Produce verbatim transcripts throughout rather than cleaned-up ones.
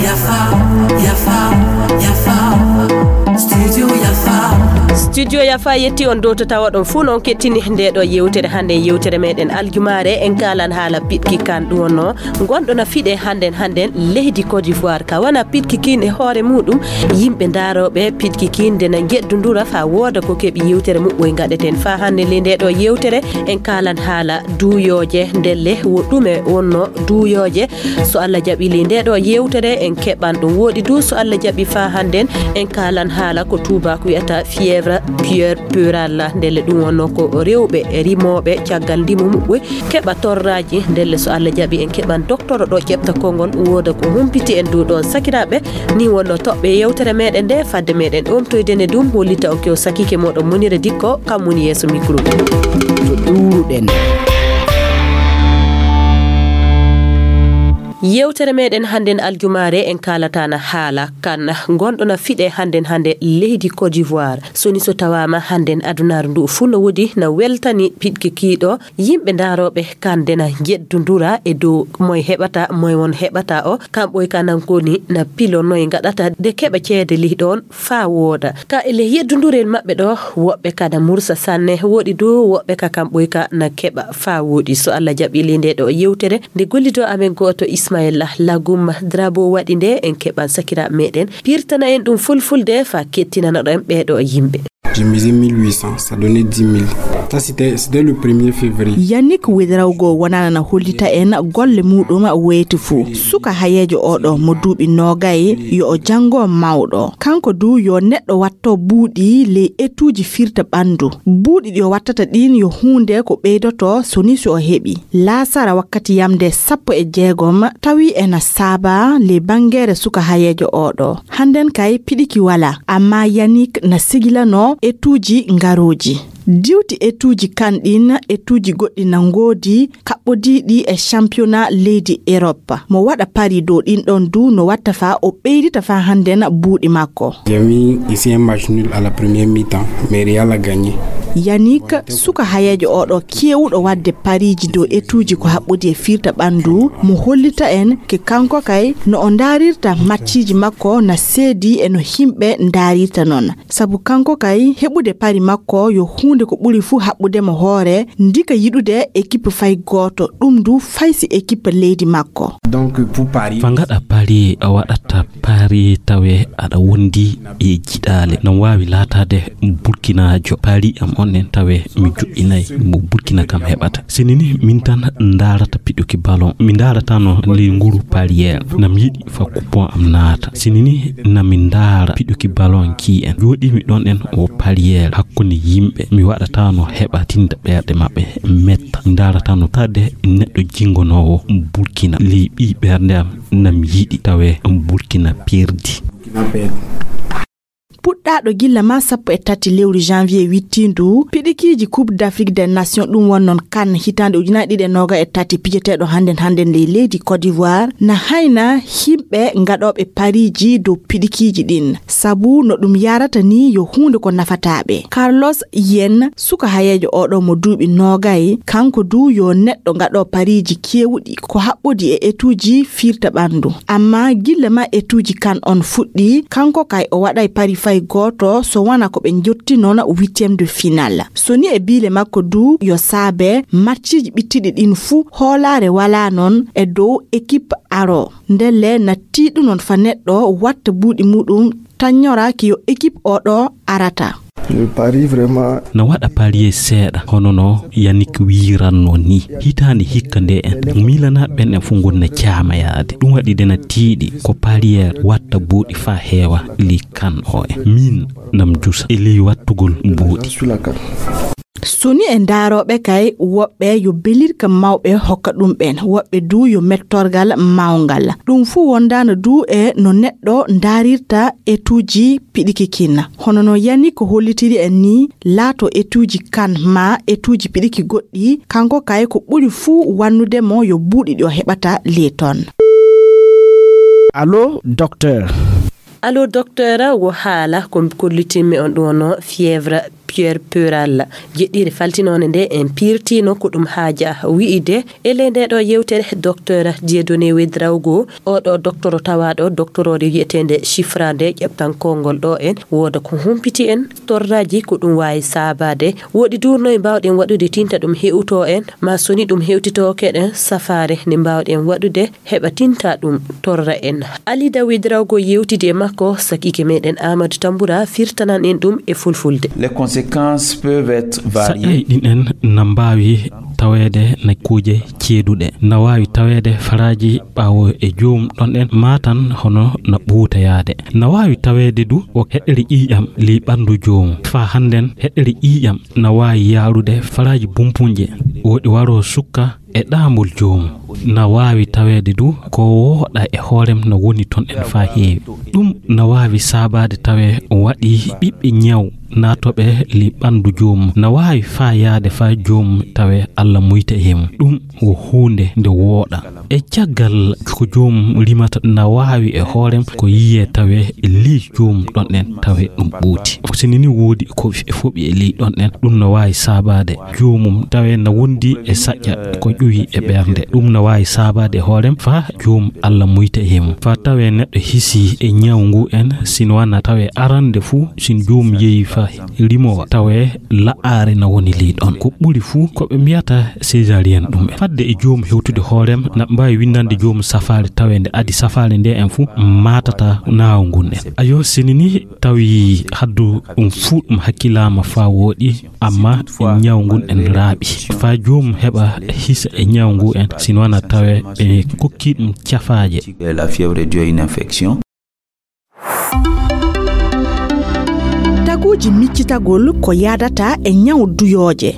Yafa, yafa, yafa. Studio yafa. Studio yafa yetti on dow to tawa ɗon fuu noon kettini nde ɗo yewtere hannde, yewtere meɗen aljumaare. En kaalan haala piɗki kan ɗum wonno ngonɗo na fiɗe hannden hannden leydi Côte d'Ivoire, ka wana piɗki kin e hoore muɗum. Yimɓe ndaarooɓe piɗki kin nde na njeddundura faa wooda ko keɓi. Yewtere muɓɓoy ngaɗeten faa hannde le nde ɗo yewtere. En kaalan haala duuyooje ndelle wo ɗume wonno duuyooje. So Allah jaɓi le nde ɗo yewtere en keɓan ɗum. Wooɗi du so Allah jaɓi faa hannden en kaalan haala ko tuubaako wiyata fièvre puerperale. Ndelle ɗum wonno ko rewɓe rimooɓe caggal ndimu muɓɓoy keɓa torraaji. Ndelle so Allah jaɓi en keɓan doktoro ɗo ƴeɓta konngol wooda ko humpiti en du ɗoon sakiraaɓe. Ni wonno toɓɓe yewtere meɗen nde fadde meɗen omtoyde ne ɗum hollita on kew sakike moɗon Munira Dikko kam woni yeeso micro. To ɗuuruɗen. Yewtere meɗen hannden aljumaare en kaalatana haala kan ngonɗo na fiɗe hannden hannde leydi Côte d'Ivoire. Soni so tawaama hannden adunaaru ndu fuu no woodi na weltani piɗki kiiɗo. Yimɓe ndaarooɓe kan nde na njeddundura e dow moy heɓata, moy won heɓata o. Kamɓoy ka nan koni na pilo noy ngaɗata de keɓa ceede lih ɗoon faa wooda. Ka e leh yeddundurel maɓɓe ɗo, woɓɓe ka na mursa sanne, woɗi du woɓɓe ka kamɓoy ka na keɓa faa wooɗi. So Allah jaɓi le nde ɗo yewtere, nde gollido amen gooto Ismaila Lagum Drabo waɗi nde, en keɓan sakiraaɓe meɗen. Pirtana en ɗum fulfulde faa kettinanoɗen ɓee ɗo yimɓe. J'ai misé mille huit cents, ça donnait dix mille. Ça, c'était, c'était le premier février. Yannick Ouedraogo wonana na hollita en golle muɗum weeti fuu. Suka hayeejo oɗo mo duuɓi noogay yo o janngo mawɗo. Kanko du yo neɗɗo watto buuɗi ley etuuji firta ɓanndu. Buuɗi ɗi o wattata ɗin yo huunde ko ɓeydoto so ni so o heɓi. Laasara wakkati yamde sappo e jeegom tawi ena saaba ley banngeere suka hayeejo oɗo. Hannden kay piɗiki wala, amma Yannick na sigilano etuuji ngarooji. Diwti etuuji kan ɗin, etuuji goɗɗi na ngoodi kaɓɓodiiɗi e championnat leydi Europe. Mo waɗa pari dow ɗin ɗon du no watta faa o ɓeydita faa hannden buuɗi makko. J'ai mis ici un match nul à la première mi-temps, mais Real a gagné. Yannick, suka hayeejo oɗo keewuɗo waɗde pariiji dow etuuji ko haɓɓodi e firta ɓanndu, mo hollita en ke kanko kay no o ndaarirta matchiiji makko na seedi e no himɓe ndaarirta non. Sabu kanko kay heɓude pari makko yo huunde ko ɓuri fuu haɓɓude mo hoore, ndika yiɗude ekipe fay gooto, ɗum du fay si ekipe leydi makko. Donc, pour Paris. Fa ngaɗa pari a waɗata pari tawe aɗa wondi e jiɗaale. Nam waawi laataade Burkinaajo pari am on en tawe mi joɗɗinay mo Burkina kam heɓata. Sini ni min tan ndaarata piɗuki ballon. Mi ndaaratano ley nguru pariyeer. Nam yiɗi fa coupon am naata. Sini ni na mi ndaara piɗuki ballon ki en. Jooɗimi ɗon en o pariyeer hakkunde yimɓe. Mi waɗatano heɓa tinda ɓerɗe maɓɓe metta. Mi ndaaratano tade neɗɗo jingonoowo Burkina. Ley ɓii ɓernde am nam yiɗi tawe Burkina perdi. Puɗɗaaɗo gilla ma sappo e tati lewru janvier wittiindu, piɗikiiji Coupe d'Afrique des Nations, ɗum won noon kan hitaande ujunaaji ɗiɗi e noogaas e tati pijeteeɗo hannden hannden ley leydi Côte d'Ivoire, na hayna yimɓe ngaɗooɓe pariiji dow piɗikiiji ɗin. Sabu no ɗum yarata ni yo huunde ko nafataaɓe. Carlos Yen, suka hayeejo oɗo mo duuɓi noogay, kanko du yo neɗɗo gaɗo pariiji keewuɗi ko haɓɓodi e etuuji firta ɓanndu. Amma gilla ma etuuji kan on fuɗɗi, kanko kay o waɗay pari fay gooto so wona ko ɓe njotti noon huitième de finale. So ni e biile makko du yo saabe matchiiji ɓittiɗi ɗin fuu hoolaare walaa noon e dow ekip aro. Ndelle na tiiɗu noon fa neɗɗo watta buuɗi muɗum tanñora ki yo ekip oɗo arata. Le pari vraiment. Na waɗa parier seeɗa, hono no Yannick wiyiranno ni. Hitaande hikka nde en, miilanaaɓe ɓen en fof ngoni na caamayaade. Ɗum waɗi nde na tiiɗi ko parier watta buuɗi faa heewa ley kan o en. Min nam jusa e ley wattugol buuɗi. Suni e ndaarooɓe kay, woɓɓe yo belirka mawɓe hokka ɗum ɓen, woɓɓe du yo mettorgal mawngal. Ɗum fuu wondaano du e no neɗɗo ndaarirta etuuji piɗiki kin. Hono no Yannick hollitiri en ni, laato etuuji kan maa etuuji piɗiki goɗɗi, kanko kay ko ɓuri fuu wannude mo yo buuɗi ɗi o heɓata ley ton. Allo, docteur. Allo, docteur, wo haala ko kollitinmi on ɗo no fièvre Pierre Peral. Jeɗɗire faltinoonde nde en pirtino ko ɗum haaja wi'ide e ley nde ɗo yewtere, Docteur Dieudonné Ouédraogo, oɗo doktoro tawaaɗo doktoroore wi'eteende Chifra nde ƴeptan konngol ɗo en, wooda ko humpiti en torraji ko ɗum waawi saabaade. Woɗi duurno e mbaawɗen waɗude tinta ɗum hewto en, ma soni ɗum hewtitooke ɗen safaare nde mbaawɗen waɗude heɓa tinta ɗum torra en. Ali Dawid Rawgo yewtidi e makko, sakiike meɗen Amadou Tambura firtanan en ɗum e fulfulde. Les conséquences peuvent être variées. Saƴƴay ɗin en na mbaawi taweede na kuuje ceeduɗe. Na waawi taweede faraaji ɓaawo e joom ɗon en maatan hono na ɓuutayaade. Na waawi taweede du o heɗɗere ƴiiƴam ley ɓanndu joom. Faa hannden heɗɗere ƴiiƴam na waawi yaarude faraaji bumpunje. Woɗi waroo sukka e ɗaambol joom. Na waawi taweede du ko wooɗa e hoorem na woni ton en faa heewi. Ɗum na waawi saabaade tawee waɗi ɓiɓɓe ñaw naatooɓe li ɓanndu joom. Na waawi faa yaade faa joom tawee Alla muyta e mum. Ɗum ko huunde nde wooɗa. E caggal ko joom rimata na waawi e hoorem ko yiyee tawee li joom ɗon en tawee ɗum ɓuuti. Sini ni woodi ko e foɓi e li ɗon en. Ɗum na waawi saabaade joomum tawee na wondi e saƴƴa ko ƴuwi e ɓernde. Ɗum na waawi saabaade hoorem faa joom Alla muyta e mum. Faa tawee neɗɗo hisi e ñaw ngu en, sin wana tawee arande fuu, sin joom yehi faa rimowa, tawee la'aare na woni ley ɗon. Ko ɓuri fuu ko ɓe mbiyata césarienne ɗum en. Fadde e joom hewtude hoorem, na mbaawi winndande joom safaare tawee nde adi safaare nde en fuu maatata naaw ngun en. Ayo, sini ni tawi haddu ɗum fuu ɗum hakkilaama faa wooɗi, amma ñaw ngun en raaɓi. Faa joom heɓa hisa e ñaw ngu en, sin wana tawee ɓe kokki ɗum cafaaje. La fièvre est due à une infection. Taguuji miccitagol ko yaadata e ñaw duyooje.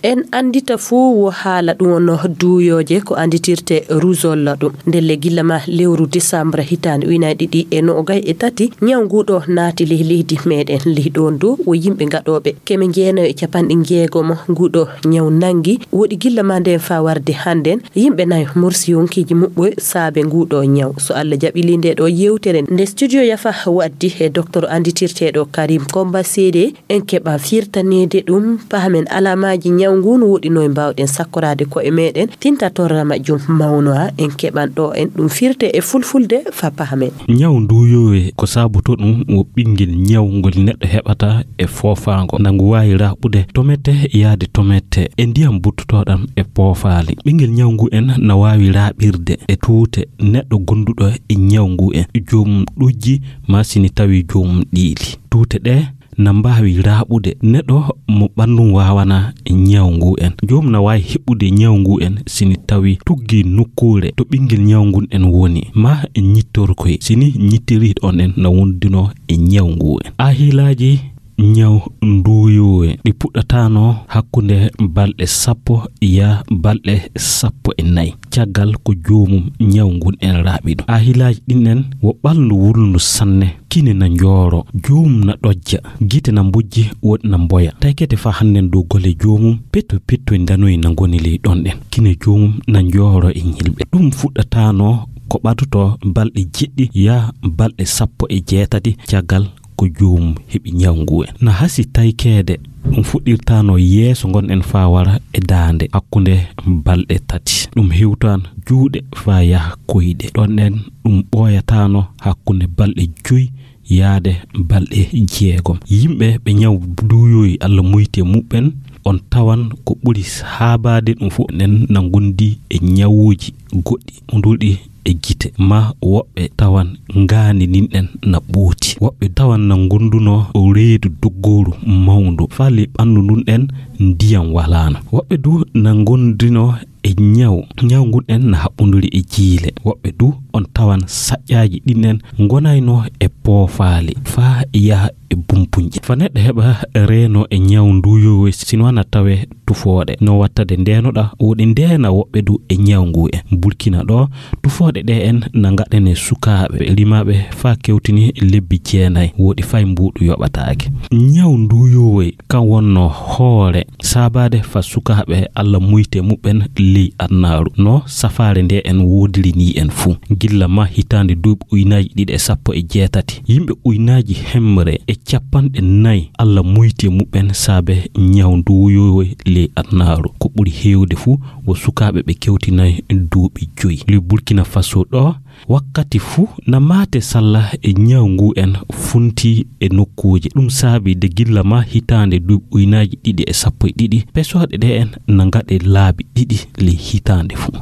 En anndita fuu wo haala ɗum wonno duuyooje ko annditirte rougeole ɗum. Ndelle gilla ma lewru décembre hitaande ujunaaji ɗiɗi e noogay e tati, ñaw ngu ɗo naati ley leydi meɗen. Ley ɗon du wo yimɓe gaɗooɓe keme jeenayo e capanɗe jeegomo ngu ɗo ñaw nanngi. Woɗi gilla ma nden faa warde hannden, yimɓe nayo mursi yonkiiji muɓɓoy saabe ngu ɗo ñaw. So Alla jaɓili nde ɗo yewtere nde studio Yafa waddi e docteur annditirteeɗo Karim Komba Seede, en keɓa firtaneede ɗum, pahamen alaamaaji ñaw ngu no woɗi no e mbaawɗen sakkoraade ko'e meɗen, tinta torra majjum mawnoa, en keɓan ɗo en ɗum firte e fulfulde faa pahamen. Ñaw nduuyoowe ko saaboto ɗum wo ɓinngel ñaw ngol neɗɗo heɓata e foofaango. Na ngu waawi raaɓude tomette yaade tomette e ndiyam buttotooɗam e poofaali. Ɓinngel ñaw ngu en na waawi raaɓirde e tuute neɗɗo gonduɗo e ñaw ngu en, joom ɗojji maa sini tawi joom ɗiili. Tuute ɗe na mbaawi raaɓude neɗɗo mo ɓanndu waawana ñaw ngu en. Joom na waawi heɓude ñaw ngu en sini tawi tuggi nokkuure to ɓinngel ñaw ngun en woni, maa ñittorkoy sini ñittiri on en na wondunoo e ñaw ngu en. Ahilaaji ñaw nduuyoowe ɗi puɗɗataano hakkunde balɗe sappo yaa balɗe sappo e nayi caggal ko joomum ñaw ngun en raaɓi ɗum. Ahilaaji ɗin en wo ɓalndu wulndu sanne, kine na njooro, joomum na ɗojja, gite na mbojji, woɗi na mboya. Taykete faa hannden dow gole joomum, petto petto e ndanoyi na ngoni ley ɗon ɗen. Kine joomum na njooro e ñilɓe. Ɗum fuɗɗataano ko ɓadotoo balɗe jeɗɗi yaa balɗe sappo e jeetati caggal ko joomum heɓi ñaw ngu en. Na hasi taykeede, ɗum fuɗɗirtaano yeeso ngon en faa wara e daande hakkunde balɗe tati. Ɗum hewtaan juuɗe faa yaha koyɗe. Ɗon en ɗum ɓooyataano hakkunde balɗe joy yaade balɗe jeegom. Yimɓe ɓe ñaw duuyooyi Alla muyti e muɓɓen, on tawan ko ɓuri haabaade ɗum fof enen na ngondi e ñawuuji goɗɗi. Nduɗi e gite, maa woɓɓe tawan ngaandi ndin ɗen na ɓooti. Woɓɓe tawan na ngondunoo reedu doggooru mawndu, faa ley ɓanndu ndun ɗen ndiyam walaano. Woɓɓe du na ngondunoo e ñaw, ñaw ngun ɗen na haɓɓonduri e jiile. Woɓɓe du on tawan saƴƴaaji ɗin ɗen ngonaynoo e poofaali, faa yaha e bumpunje. Faa neɗɗo heɓa reenoo e ñaw nduuyoowe, sino wana tawee tufooɗe. No wattade ndeenoɗa, woɗi ndeena woɓɓe du e ñaw ngu en. Burkina ɗo, tufooɗe ɗe en na ngaɗanee sukaaɓe rimaaɓe faa kewtini lebbi jeenay, woɗi fay mbuuɗu yoɓataake. Ñaw nduuyoowe kan wonno hoore saabaade faa sukaaɓe Alla muyti e muɓɓen ley adunaaru, no safaare nde en woodiri nii en fuu. gilla ma hitaande duuɓi ujunaaji ɗiɗi e sappo e jeetati. Yimɓe ujunaaji hemre e capanɗe nayi Allah muyti e muɓɓen saabe ñaw nduuyowe ley adunaaru. Ko ɓuri heewde fuu, wo sukaaɓe ɓe kewtinaay duuɓi joyi. Ley Burkina Faso ɗoo, wakkati fuu na maate salla e ñaw ngu en funti e nokkuuje. Ɗum saabi de gilla ma hitaande duuɓi ujunaaji ɗiɗi e sappo e ɗiɗi, pesooɗe ɗe en na ngaɗe laabi ɗiɗi ley hitaande fuu.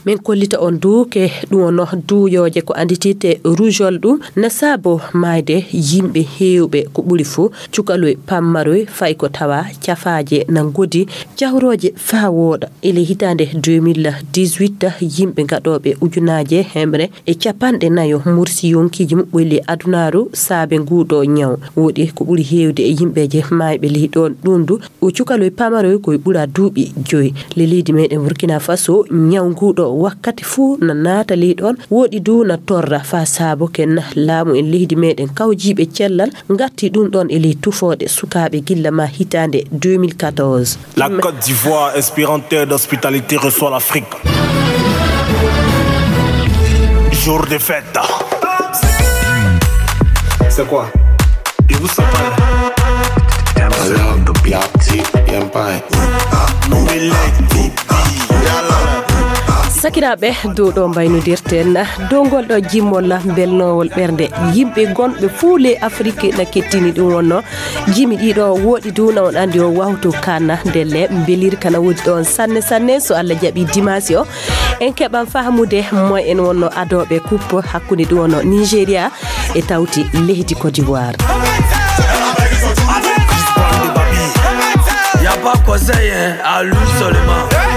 Min kollita on duuke ɗum wonno duuyooje ko anndititte rujol ɗum na saabo maayde yimɓe heewɓe ko ɓuri fuu cukaloy pammaroy fay ko tawa cafaaje na ngodi cahorooje faa wooɗa. Ele hitaande deux mille dix-huit yimɓe gaɗooɓe ujunaaje hemre e capanɗe nayo mursi yonkiiji muɓɓoy ley adunaaru saabe nguuɗo ñaw. Woɗi ko ɓuri heewde e yimɓeeje maayɓe ley ɗoon ɗuum du o cukaloy pamaroy koye ɓura duuɓi joyi. Le leydi meɗen Burkina Faso ñaw nguɗo wakkati fuu na naata ley ɗon woɗi du na torra fa saabo ken laamu en leydi meɗen kawjiiɓe cellal ngatti ɗum ɗon e ley tufooɗe sukaaɓe gilla ma hitaande deux mille quatorze. La Côte d'Ivoire, inspirante d'hospitalité, reçoit l'Afrique. Jour de fête. C'est quoi? Sakiraaɓe, dow ɗo mbaynodirten, dow ngol ɗo jimmol belnowol ɓernde, yimɓe gonɓe fuu ley Afrik na kettini ɗum wonno. Jimi ɗiɗo woɗi du na on andi o wawto kana ndelle mbelir kana wodi ɗon sanne sanne so Allah jaɓi dimanche o en keɓan fahmude moy en wonno adoɓe coupe hakkunde ɗum wonno Nigeria e tawti leydi Côte d'Ivoire. Y a pas conseil, hein, à lui seulement.